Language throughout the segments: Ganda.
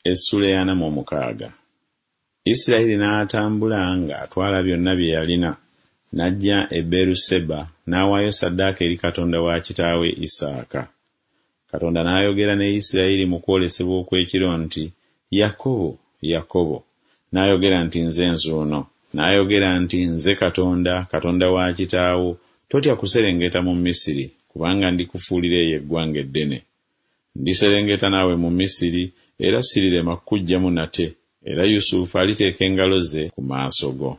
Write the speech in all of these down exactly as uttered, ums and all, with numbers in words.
Essula ey'ana mu omukaaga. Isirayiri n'atambula ng'atwala byonna bye yalina, n'ajja e Beeruseba n'awaayo ssaddaaka eri Katonda wa kitaawe Isaaka. Katonda n'ayogera ne Isirayiri mu kwolesebwa okw'ekiro nti, Yakobo, Yakobo. N'ayogera nti, Nze nzuuno. N'ayogera nti, Nze Katonda, Katonda wa kitaawo, totya kuserengeta mu Misiri, kubanga ndikufuulira eyo eggwanga eddene. Ndiserengeta naawe mu Misiri, era sirirema kukuggyamu nate, era Yusufu aliteeka engalo ze ku maaso go.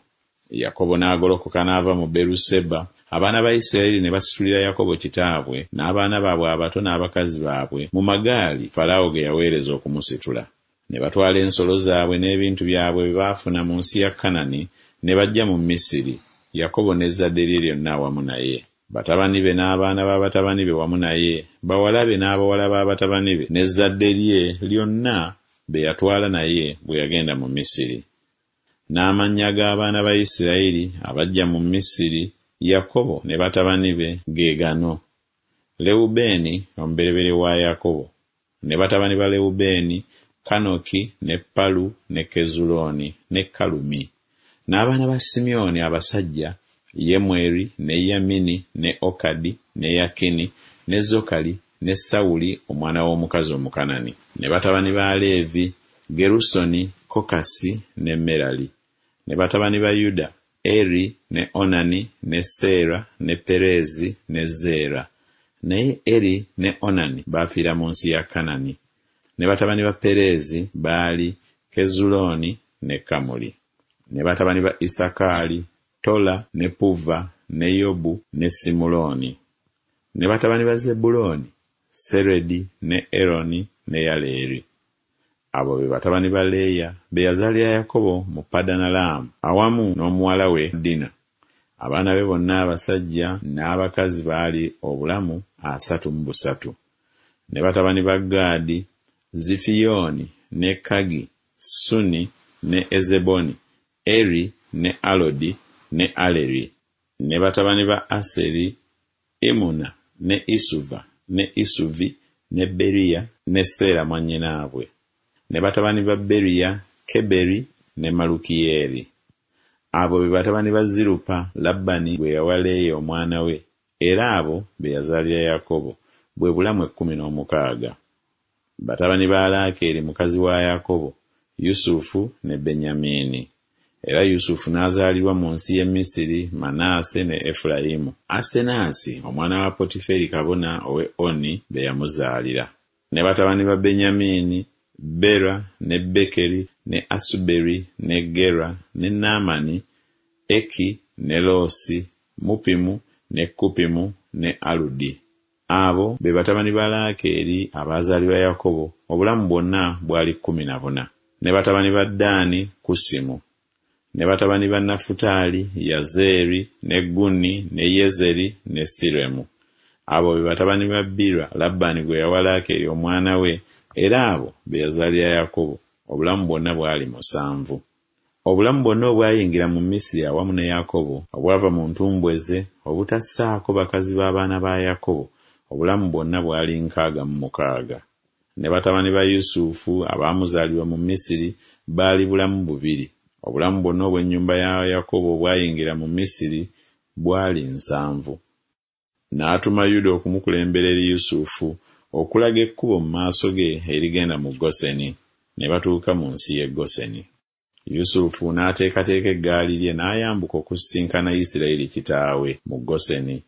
Yakobo n'agolokoka n'ava mu Beeruseba, abaana ba Isirayiri ne basitulira Yakobo kitaabwe n'abaana baabwe abato n'abakazi baabwe mu magaali Falaawo ge yaweereza okumusitula. Ne batwala ensolo zaabwe n'ebintu byabwe bye baafuna mu nsi ya Kanani ne bajja mu Misiri, Yakobo n'ezzadde lye lyonna awamu naye. Batabani be n'abaana ba batabani be wamu naye, bawala be n'abawala ba batabani be, n'ezzadde lye lyonna be yatwala naye bwe yagenda mu Misiri. N'amannya g'abaana ba Isirayiri abajja mu Misiri, Yakobo ne batabani be ge gano: Lewubeeni omubereberye wa Yakobo, ne batabani ba Lewubeeni, Kanoki ne Palu ne Kezulooni ne Kalumi. N'abaana ba Simyoni abasajja, Yemweri ne Yamini ne Okadi ne Yakini ne Zokali ne Sawuli omwana w'omukazi Omukanani. Ne batabani ba Leevi, Gerusoni, Kokasi ne Merali. Ne batabani ba Yuda, Eri ne Onani ne Seera ne Pereezi ne Zeera. Naye Eri ne Onani baafiira mu nsi ya Kanani. Ne batabani ba Pereezi baali Kezulooni ne Kamuli. Ne batabani ba Isakaali, Tola ne Puva ne Yobu ne Simulooni. Ne batabani ba Zebbulooni, Seredi ne Eroni ne Yaleeri. Abo be batabani ba Leeya be yazaalira Yakobo mu Padanalaamu awamu n'omuwala we Dina. Abaana be bonna abasajja n'abakazi baali obulamu asatu mu busatu. Ne batabani ba Gaadi, Zifiyooni ne Kagi, Suni ne Ezeboni, Eri ne Alodi ne Aleri. Ne batabani ba Aseri, Imuna ne Isuva ne Isuvi ne Beriya ne Seera mwannyinaabwe. Ne batabani ba Beriya, Keberi ne Malukiyeeri. Abo be batabani ba Zirupa Labbaani gwe yawa Leeya omwana we, era abo be yazaalira Yakobo, bwe bulamu ekkumi n'omukaaga. Batabani ba Laakeeri mukazi wa Yakobo, Yusufu ne Benyamiini. Era Yusufu n'azaalirwa mu nsi y'e Misiri Manaase ne Efulayimu. Asenaasi omwana wa Potiferi kabona ow'e Oni be yamuzaalira. Ne batabani ba Benyamiini, Bera ne Bekeri ne Asuberi ne Gera ne Naamani, Eki ne Loosi, Mupimu ne Kupimu ne Aludi. Abo be batabani ba Laakeeri abaazaalibwa Yakobo, obulamu bwonna bwali kkumi na buna. Ne batabani ba Ddaani, Kusimu. Ne batabani ba Nafutaali, Yazeeri ne Guni ne Yezeri ne Siremu. Abo be batabani ba Bira Labbaani gwe yawa Laakeeri omwana we, era abo be yazaalira Yakobo, obulamu bwonna bwali musanvu. Obulamu bwonna obwayingira mu Misiri awamu ne Yakobo, obwava mu ntumbwe ze, obutassaako bakazi b'abaana ba Yakobo, obulamu bwonna bwali nkaaga mu mukaaga. Ne batabani ba Yusufu abaamuzaalirwa mu Misiri baali bulamu bubiri. Obulamu bwonna obw'ennyumba ya Yakobo obwayingira mu Misiri bwali nsanvu. N'atuma Yuda okumukulembera eri Yusufu, okulaga ekkubo mu maaso ge erigenda mu Goseni. Ne batuuka mu nsi y'e Goseni. Yusufu n'ateekateeka eggaali lye n'ayambuka okusisinkana Isirayiri kitaawe mu Goseni.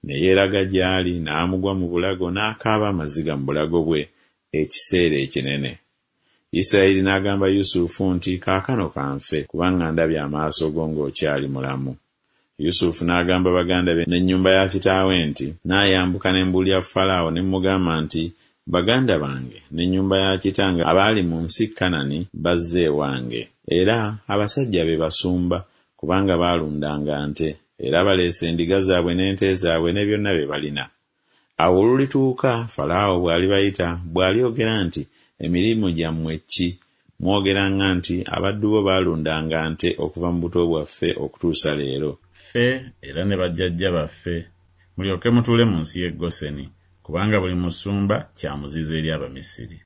Ne yeeraga gy'ali n'amugwa mu bulago n'akaaba amaziga mu bulago bwe ekiseera ekinene. Isirayiri n'agamba Yusufu nti, Kaakano ka nfe, kubanga ndabye amaaso go ng'okyali mulamu. Yusufu n'agamba baganda be n'ennyumba ya kitaawe nti, Naayambuka ne mbuulira Falaawo ne mmugamba nti, Baganda bange n'ennyumba ya kitange abaali mu nsi Kanani bazze ewange, era abasajja be basumba, kubanga baalundanga nte, era baleese endiga zaabwe n'ente zaabwe ne byonna bye balina. Awo olulituuka Falaawo bw'alibayita, bw'alyogera nti, Emirimu gyammwe ki? Mwogeranga nti, Abaddu bo baalundanga nte okuva mu buto bwaffe okutuusa leero. Ffe era ne bajjajja baffe, mulyoke mutuule mu nsi y'e Goseni, kubanga buli musumba kya muzizo eri Abamisiri.